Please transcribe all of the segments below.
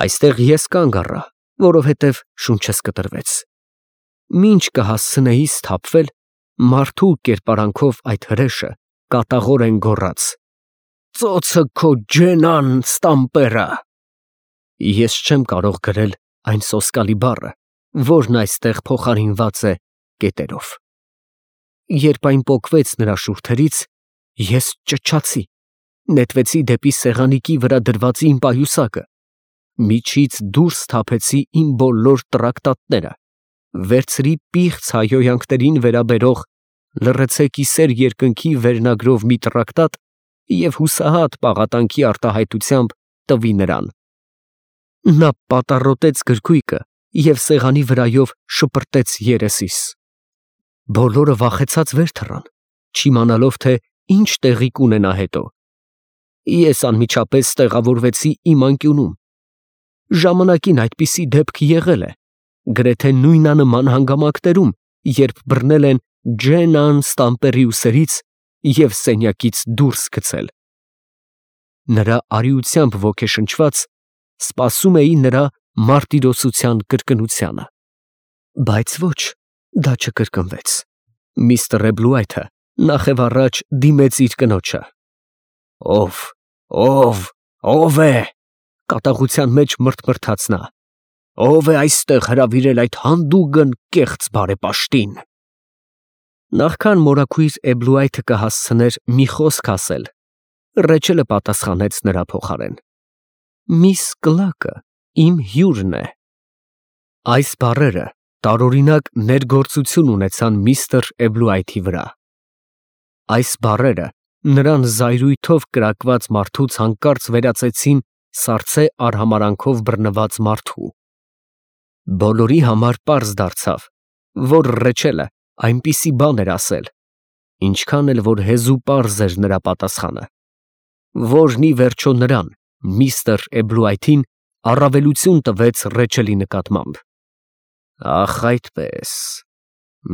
Այստեղ ես կանգ առա, որովհետև շունչս կտրվեց։ Մինչ կհասցնեի սթափվել, մարդու կերպարանքով այդ հրեշը կատաղորեն գոռաց. «Ծոցը քո ջենան ստամպերը»։ Ես չեմ կարող գրել այն սոսկալի բառը, որն այստեղ փոխարինված է կետերով։ Երբ այն պոկվեց նրա շուրթերից, ես ճչացի, նետվեցի դեպի սեղանիկի վրա դրված իմ պայուսակը, միջից դուրս թափեցի իմ բոլոր տրակտատները, վերցրի պիղծ հայհոյանքներին վերաբերող «Լռեցե կիսեր երկնքի» վերնագրով մի տրակտատ և հուսահատ պաղատանքի արտահայտությամբ տվի նրան։ Նա պատառոտեց գրքույկը և սեղանի վրայով շպրտեց երեսիս։ Բոլորը վախեցած վեր թռան, չիմանալով, թե ինչ տեղի կունենա հետո։ Ես անմիջապես տեղավորվեցի իմ անկյունում։ Ժամանակին այդպիսի դեպք եղել է, գրեթե նույնանման հանգամանքներում, երբ բռնել են Ջենան ստամպերի ուսերից և սենյակից դուրս գցել։ Նրա արիությամբ ոգեշնչված, սպասում էի նրա մարտիրոսության կրկնությանը։ Բայց ոչ, դա չկրկնվեց։ Միստր Էբլուայթը նախևառաջ դիմեց իր կնոջը։ Ո՞վ է, կատաղության մեջ մռթմռթաց նա։ Ո՞վ է այստեղ հրավիրել այդ հանդուգն կեղծ բարեպաշտին։ Նախքան մորաքույր Էբլուայթը կհասցներ մի խոսք ասել, Ռեչելը պատասխանեց նրա փոխարեն. «Միս Կլակը իմ հյուրն է»։ Այս բառերը տարօրինակ ներգործություն ունեցան միստր Էբլուայթի վրա։ Այս բառերը նրան զայրույթով կրակված մարդուց հանկարծ վերածեցին սառցե արհամարանքով բռնված մարդու։ Բոլորի համար պարզ դարձավ, որ Ռեչելը այնպիսի բան էր ասել, ինչքան էլ որ հեզու պարզ էր նրա պատասխանը, որն ի վերջո նրան, միստր Էբլուայթին, առավելություն տվեց Ռեչելի նկատմամբ։ Ախ, այդպես,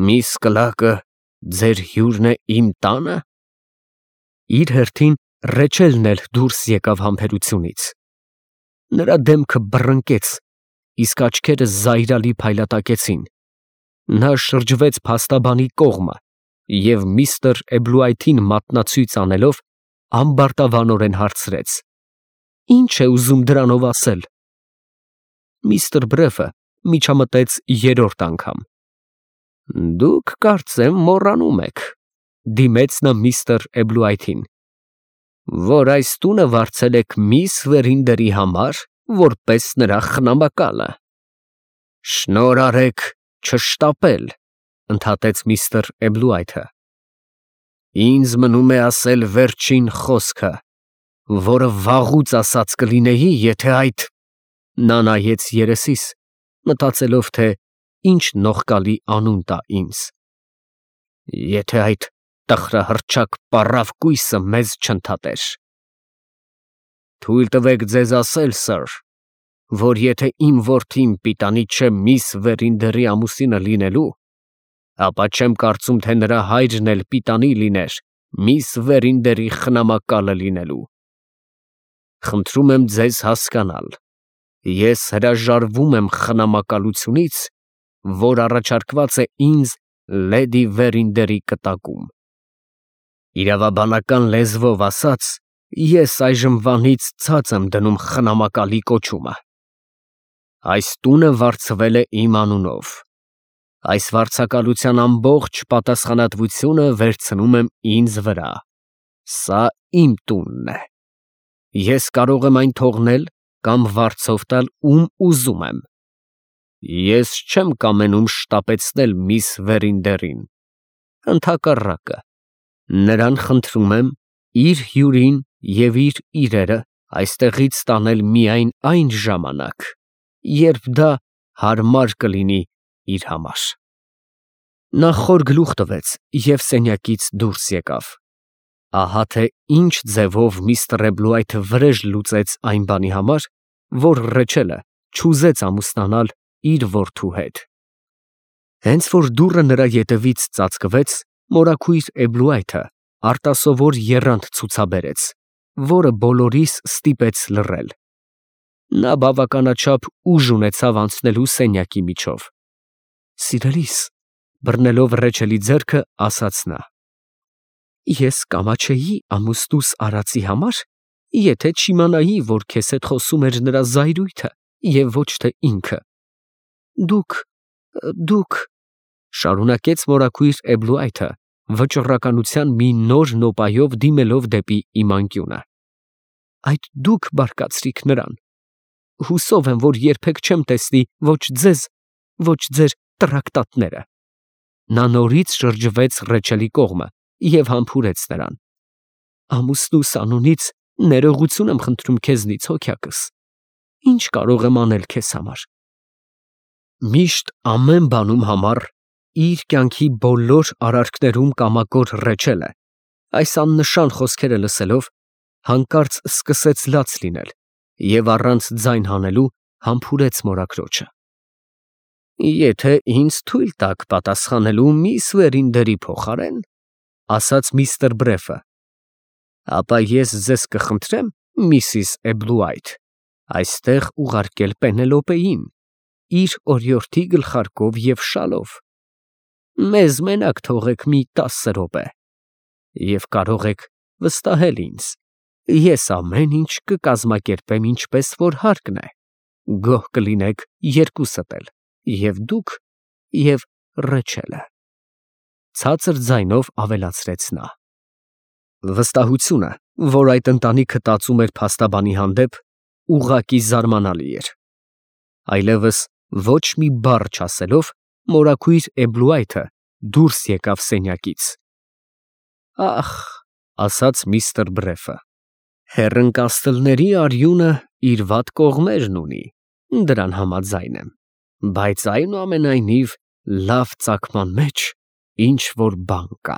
միս Կլակը ձեր հյուրն է իմ տանը։ Իր հերթին Ռեչելն էլ դուրս եկավ համբերությունից։ Նրա դեմքը բռնկեց, իսկ աչքերը զայրալի փայլատակեցին։ Նա շրջվեց փաստաբանի կողմը և միստր Էբլուայթին մատնացույց անելով ամբարտավանորեն հարցրեց. «Ինչ է ուզում դրանով ասել»։ Միստր Բրեֆը միջամտեց երրորդ անգամ։ «Դուք կարծեմ մոռանում եք», դիմեց նա միստր Էբլուայթին, «որ այս տունը վարձել եք միս Վերինդերի համար, որպես նրա խնամակալը»։ «Շնորհ արեք չշտապել», ընդհատեց միստր Էբլուայթը։ «Ինձ մնում է ասել վերջին խոսքը, որը վաղուց ասած կլինեի, եթե այդ…» Նա նայեց երեսիս, մտածելով, թե ինչ նողկալի անուն տա ինձ։ «Եթե այդ տխրահռչակ պառավ կույսը մեզ չընդհատեր»։ «Թույլ տվեք ձեզ ասել, սըր, որ եթե իմ որդին պիտանի չէ միս Վերինդերի ամուսինը լինելու, ապա չեմ կարծում, թե նրա հայրն էլ պիտանի լիներ միս Վերինդերի խնամակալը լինելու։ Խնդրում եմ ձեզ հասկանալ, ես հրաժարվում եմ խնամակալությունից, որ առաջարկված է ինձ լեդի Վերինդերի կտակում։ Իրավաբանական լեզվով ասած, ես այժմվանից ցած եմ դնում խնամակալի կոչումը։ Այս տունը վարձվել է իմ անունով։ Այս վարձակալության ամբողջ պատասխանատվությունը վերցնում եմ ինձ վրա։ Սա իմ տունն է։ Ես կարող եմ այն թողնել կամ վարձով տալ ում ուզում եմ։ Ես չեմ կամենում շտապեցնել միս Վերինդերին։ Ընդհակառակը, նրան խնդրում եմ իր հյուրին և իր իրերը այստեղից տանել միայն այն ժամանակ, երբ դա հարմար կլինի իր համար։ Նա խոր գլուխ տվեց և սենյակից դուրս եկավ։ Ահա թե ինչ ձևով միստր Էբլուայթը վրեժ լուծեց այն բանի համար, որ Ռեչելը չուզեց ամուսնանալ իր որդու հետ։ Հենց որ դուռը նրա ետևից ծածկվեց, մորաքույր Էբլուայթը արտասովոր եռանդ ցուցաբերեց, որը բոլորիս ստիպեց լռել։ Նա բավականաչափ ուժ ունեցավ անցնելու սենյակի միջով։ Սիրելիս, բռնելով Ռեչելի ձեռքը, ասաց նա. Ես կամաչեի ամուսնուս արածի համար, եթե չիմանայի, որ քեզ հետ խոսում էր նրա զայրույթը և ոչ թե ինքը։ Դուք, շարունակեց մորաքույր Էբլուայթը, վճռականության մի նոր նոպայով դիմելով դեպի իմ անկյունը։ Այդ դուք բարկացրիք նրան։ Հուսով եմ, որ երբեք չեմ տեսնի ոչ ձեզ, ոչ ձեր տրակտատները։ Նա նորից շրջվեց Ռեչելի կողմը և համբուրեց նրան։ Ամուսնուս անունից ներողություն եմ խնդրում քեզնից, հոգյակս։ Ինչ կարող եմ անել քեզ համար։ Միշտ ամեն բանում համար իր կյանքի բոլոր արարքներում կամակոր Ռեչելը, այս աննշան խոսքերը լսելով, հանկարծ սկսեց լաց լինել և առանց ձայն հանելու համբուրեց մորաքրոջը։ Եթե ինձ թույլ տաք պատասխանելու միս Վերինդերի փոխարեն, ասաց միստր Բրեֆը, ապա ես ձեզ կխնդրեմ, Միսիս Էբլուայթ, այստեղ ուղարկել Պենելոպեին, իր օրիորդի գլխարկով և շալով։ Մեզ մենակ թողեք մի 10 րոպե և կարող եք վստահել ինձ, ես ամեն ինչ կկազմակերպեմ ինչպես որ հարկն է, գոհ կլինեք երկուսդ էլ, և դուք, և Ռեչելը։ Ցածր ձայնով ավելացրեց նա։ Վստահությունը, որ այդ ընտանիքը տածում էր փաստաբանի հանդեպ, ուղղակի զարմանալի էր։ Այլևս ոչ մի բառ չասելով, մորաքույր Էբլուայթը դուրս եկավ սենյակից։ Ախ, ասաց միստր Բրեֆը, հեռընկաստլների արյունը իր վատ կողմերն ունի, դրան համաձայն եմ, բայց այնուամենայնիվ լավ ծագման մեջ ինչ որ բան կա։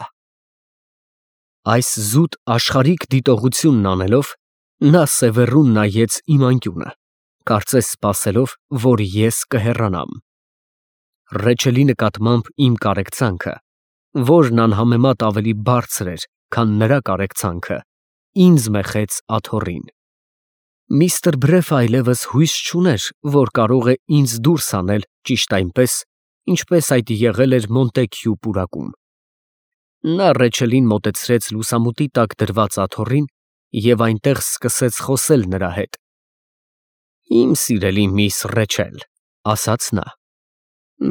Այս զուտ աշխարհիկ դիտողությունն անելով, նա սևեռուն նայեց իմ անկյունը, կարծես սպասելով, որ ես կհեռանամ։ Ռեչելի նկատմամբ իմ կարեկցանքը, որն անհամեմատ ավելի բարձր էր, քան նրա կարեկցանքը, ինձ մեխեց աթոռին։ Միստր Բրեֆը այլևս հույս չուներ, որ կարող է ինձ դուրս հանել ճիշտ այնպես, ինչպես այդ եղել էր Մոնտեքյու պուրակում։ Նա Ռեչելին մոտեցրեց լուսամուտի տակ դրված աթոռին և այնտեղ սկսեց խոսել նրա հետ։ Իմ սիրելի միս Ռեչել, ասաց նա,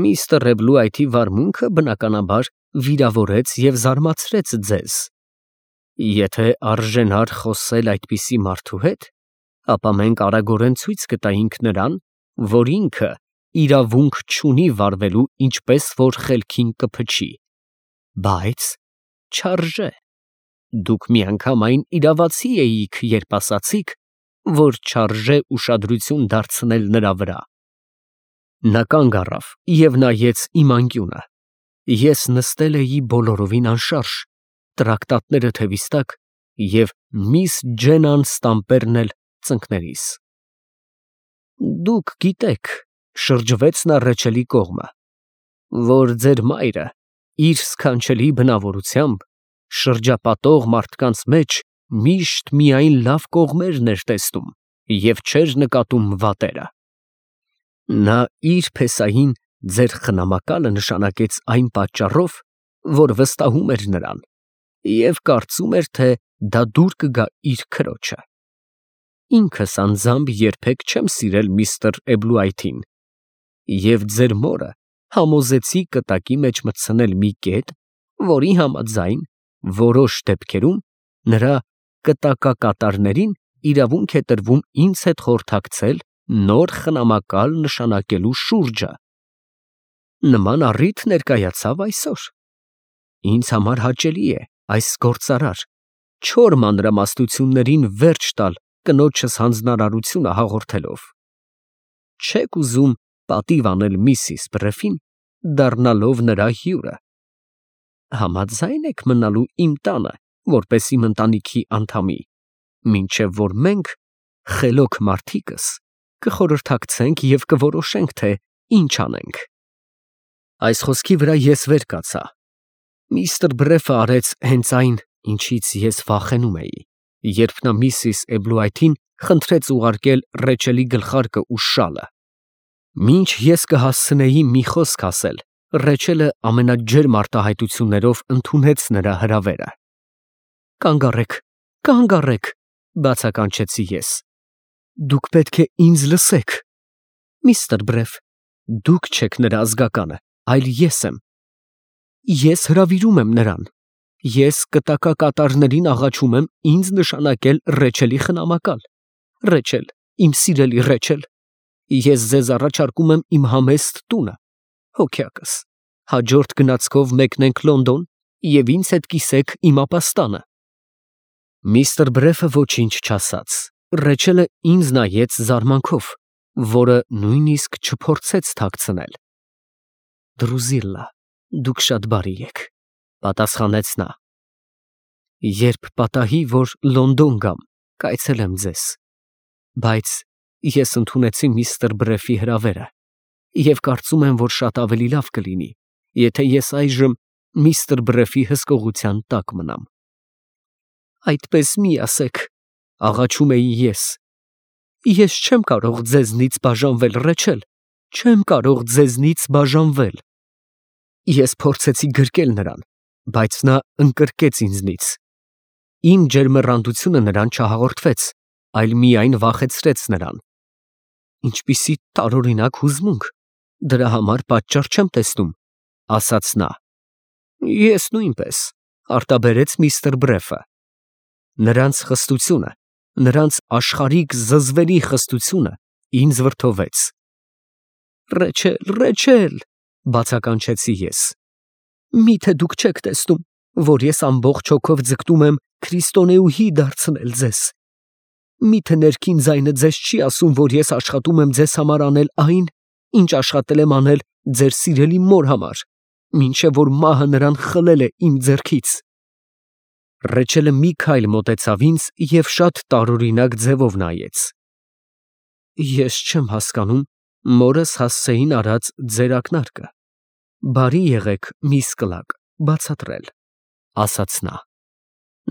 միստր Էբլուայթի վարմունքը, բնականաբար, վիրավորեց և զարմացրեց ձեզ։ Եթե արժենար խոսել այդպիսի մարդու հետ, ապա մենք արագորեն ցույց կտայինք նրան, որ ինքը իրավունք չունի վարվելու ինչպես որ խելքին կփչի, բայց չարժե։ Դուք միանգամայն իրավացի էիք, երբ ասացիք, որ չարժե ուշադրություն դարձնել նրա վրա։ Նա կանգ առավ և նայեց իմ անկյունը։ Ես նստել էի բոլորովին անշարժ, տրակտատները թևիս տակ և միս Ջենան Ստամպերն էլ ծնկներիս։ Դուք գիտեք, շրջվեց նա Ռեչելի կողմը, որ ձեր մայրը իր սքանչելի բնավորությամբ շրջապատող մարդկանց մեջ միշտ միայն լավ կողմերն էր տեսնում և չէր նկատում վատերը։ Նա իր փեսային ձեր խնամակալը նշանակեց այն պատճառով, որ վստահում էր նրան և կարծում էր, թե դա դուր կգա իր քրոջը։ Ինքս անձամբ երբեք չեմ սիրել միստր Էբլուայթին և ձեր մորը համոզեցի կտակի մեջ մտցնել մի կետ, որի համաձայն որոշ դեպքերում նրա կտակակատարներին իրավունք է տրվում ինձ հետ խորհրդակցել նոր խնամակալ նշանակելու շուրջը։ Նման առիթ ներկայացավ այսօր։ Ինձ համար հաճելի է այս գործարար, չոր մանրամասնություններին վերջ տալ կնոջս հանձնարարությունը հաղորդելով։ Չեք ուզում պատիվ անել միսիս Բրեֆին, դառնալով նրա հյուրը։ Համաձա՞յն եք մնալու իմ տանը, որպես իմ ընտանիքի անդամի, մինչև որ մենք, խելոք մարդիկս, կխորհրդակցենք և կորոշենք, թե ինչ անենք։ Այս խոսքի վրա ես վեր կացա։ Միստր Բրեֆը արեց հենց այն, ինչից ես վախենում էի։ երբ նա Միսիս Էբլուայթին խնդրեց ուղարկել Ռեչելի գլխարկը ու շալը։ Մինչ ես կհասցնեի մի խոսք ասել, Ռեչելը ամենաջերմ արտահայտություններով ընդունեց նրա հրավերը։ Կանգ առեք, բացականչեցի ես։ Դուք պետք է ինձ լսեք։ Միստր Բրեֆ, դուք չեք նրա ազգականը, այլ ես եմ։ Ես հրավիրում եմ նրան։ Ես կտակակատարներին աղաչում եմ ինձ նշանակել Ռեչելի խնամակալ։ Ռեչել, իմ սիրելի Ռեչել, ես ձեզ առաջարկում եմ իմ համեստ տունը։ Հոգյակս, հաջորդ գնացքով մեկնենք Լոնդոն և ինձ հետ կիսեք իմ ապաստանը։ Միստր Բրեֆը ոչինչ չասաց։ Ռեչելը ինձ նայեց զարմանքով, որը նույնիսկ չփորձեց թաքցնել։ Դրուզիլլա, դուք շատ բարի եք, պատասխանեց նա։ Երբ պատահի, որ Լոնդոն գամ, կայցելեմ ձեզ։ Բայց ես ընդունեցի միստր Բրեֆի հրավերը և կարծում եմ, որ շատ ավելի լավ կլինի, եթե ես այժմ միստր Բրեֆի հսկողության տակ մնամ։ Այդպես մի ասեք, աղաչում էի ես։ Ես չեմ կարող ձեզնից բաժանվել, Ռեչել, չեմ կարող ձեզնից բաժանվել։ Ես փորձեցի գրկել նրան, բայց նա ընկրկեց ինձնից։ Իմ ջերմեռանդությունը նրան չհաղորդվեց, այլ միայն վախեցրեց նրան։ Ինչպիսի տարօրինակ հուզմունք, դրա համար պատճառ չեմ տեսնում, ասաց նա։ Ես նույնպես, արտաբերեց միստր Բրեֆը։ Նրանց խստությունը, նրանց աշխարհիկ զզվելի խստությունը ինձ վրդովեց։ Ռեչել, բացականչեցի ես։ Միթե դուք չեք տեսնում, որ ես ամբողջ հոգով ձգտում եմ քրիստոնեուհի դարձնել ձեզ։ Միթե ներքին ձայնը ձեզ չի ասում, որ ես աշխատում եմ ձեզ համար անել այն, ինչ աշխատել եմ անել ձեր սիրելի մոր համար, մինչև որ մահը նրան խլել է իմ ձեռքից։ Ռեչելը մի քայլ մոտեցավ ինձ և շատ տարօրինակ ձևով նայեց։ Ես չեմ հասկանում մորս Հասսեին արած ձեր ակնարկը։ Բարի եղեք, միս Կլագ, բացատրել, ասաց նա։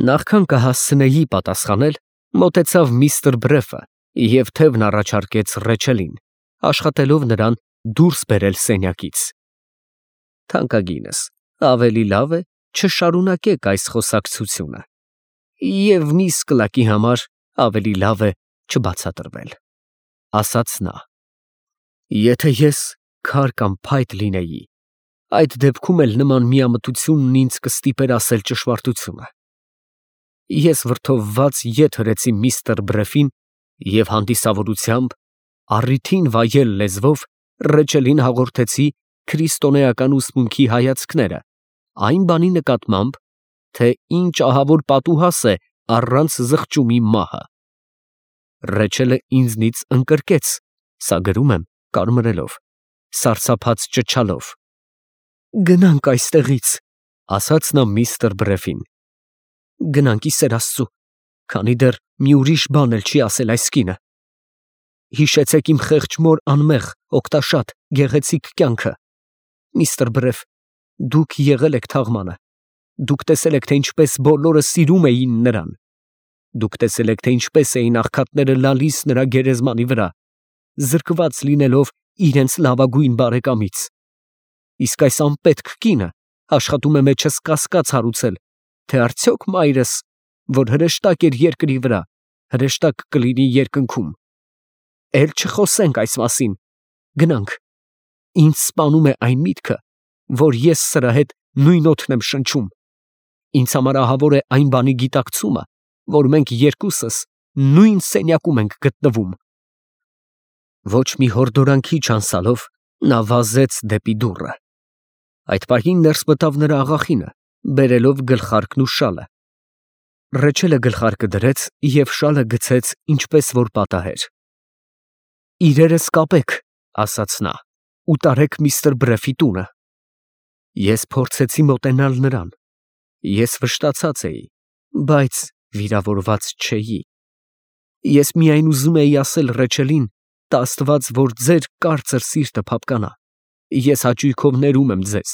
Նախքան կհասցնեի պատասխանել, մոտեցավ միստր Բրեֆը և թևն առաջարկեց Ռեչելին, աշխատելով նրան դուրս բերել սենյակից։ Թանկագինս, ավելի լավ է չշարունակեք այս խոսակցությունը, և միս Կլակի համար ավելի լավ է չբացատրվել, ասաց նա։ Եթե ես քար կամ փայտ լինեի, այդ դեպքում էլ նման միամտությունն ինձ կստիպեր ասել ճշմարտությունը։ Ես վրդովված ետ հրեցի միստր Բրեֆին և հանդիսավորությամբ, առիթին վայել լեզվով Ռեչելին հաղորդեցի քրիստոնեական ուսմունքի հայացքները այն բանի նկատմամբ, թե ինչ ահավոր պատուհաս է առանց զղջումի մահը։ Ռեչելը ինձնից ընկրկեց, սա գրում եմ կարմրելով, սարսափած ճչալով։ Գնանք այստեղից, ասաց նա միստր Բրեֆին։ Գնանք, ի սեր Աստծու, քանի դեռ մի ուրիշ բան էլ չի ասել այս կինը։ Հիշեցեք իմ խեղճ մոր անմեղ, օգտաշատ, գեղեցիկ կյանքը։ Միստր Բրեֆ, դուք եղել եք թաղմանը։ Դուք տեսել եք, թե ինչպես բոլորը սիրում էին նրան։ Դուք տեսել եք, թե ինչպես էին աղքատները լալիս նրա գերեզմանի վրա, զրկված լինելով իրենց լավագույն բարեկամից։ Իսկ այս անպետք կինը աշխատում է մեջս կասկած հարուցել, թե արդյոք մայրս, որ հրեշտակ էր երկրի վրա, հրեշտակ կլինի երկնքում։ Էլ չխոսենք այս մասին։ Գնանք։ Ինձ սպանում է այն միտքը, որ ես սրա հետ նույն օդն եմ շնչում։ Ինձ համար ահավոր է այն բանի գիտակցումը, որ մենք երկուսս նույն սենյակում ենք գտնվում։ Ոչ մի հորդորանքի չանցալով նա վազեց դեպի դուռը։ Այդ պահին ներս մտավ նրա աղախինը, բերելով գլխարկն ու շալը։ Ռեչելը գլխարկը դրեց և շալը գցեց ինչպես որ պատահեր։ Իրերս կապեք, ասաց նա, ու տարեք միստր Բրեֆի տունը։ Ես փորձեցի մոտենալ նրան։ Ես վշտացած էի, բայց վիրավորված չէի։ Ես միայն ուզում էի ասել Ռեչելին, տա Աստված, որ ձեր կարծր սիրտը փափկանա։ Ես հաճույքով ներում եմ ձեզ։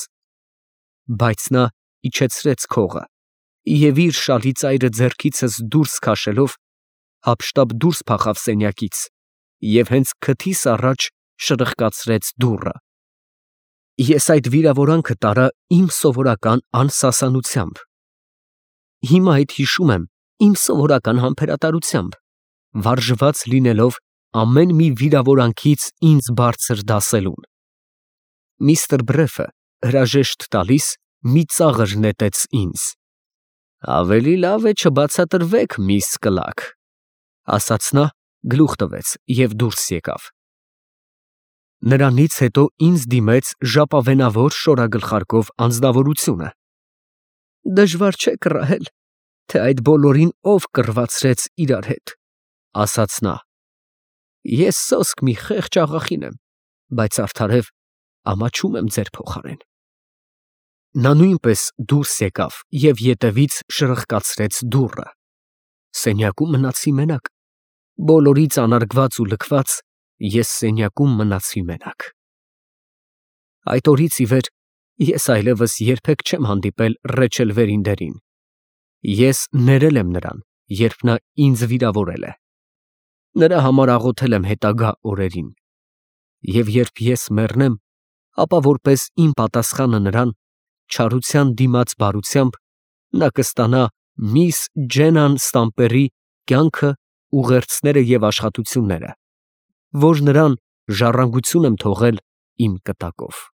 Բայց նա իջեցրեց քողը Եվ իր շալի ծայրը ձեռքիցս դուրս քաշելով, հափշտապ դուրս փախավ սենյակից և հենց քթիս առաջ շրխկացրեց դուռը։ Ես այդ վիրավորանքը տարա իմ սովորական անսասանությամբ։ Հիմա այդ հիշում եմ իմ սովորական համբերատարությամբ, վարժված լինելով ամեն մի վիրավորանքից ինձ բարձր դասելուն։ Միստր Բրեֆը հրաժեշտ տալիս մի ծաղր նետեց ինձ։ «Ավելի լավ է չբացատրվեք, միս Կլաք», ասաց նա, գլուխ տվեց և դուրս եկավ։ Նրանից հետո ինձ դիմեց ժապավենավոր շորագլխարկով անձնավորությունը։ «Դժվար չէ կռահել, թե այդ բոլորին ով կռվածրեց իրար հետ», ասաց նա։ «Ես սոսկ մի խեղճ աղախին եմ, բայց արդարև ամաչում եմ ձեր փոխարեն»։ Նա նույնպես դուրս եկավ և ետևից շրխկացրեց դուռը։ Սենյակում մնացի մենակ։ Բոլորից անարգված ու լքված ես սենյակում մնացի մենակ։ Այդ օրից ի վեր ես այլևս երբեք չեմ հանդիպել Ռեչել Վերինդերին։ Ես ներել եմ նրան, երբ նա ինձ վիրավորել է։ Նրա համար աղոթել եմ հետագա օրերին։ Եվ երբ ես մեռնեմ, ապա որպես իմ պատասխանը նրան, չարության դիմաց բարությամբ, նա կստանա միս Ջենան Ստամպերի կյանքը, ուղերձները և աշխատությունները, որ նրան ժառանգություն եմ թողել իմ կտակով։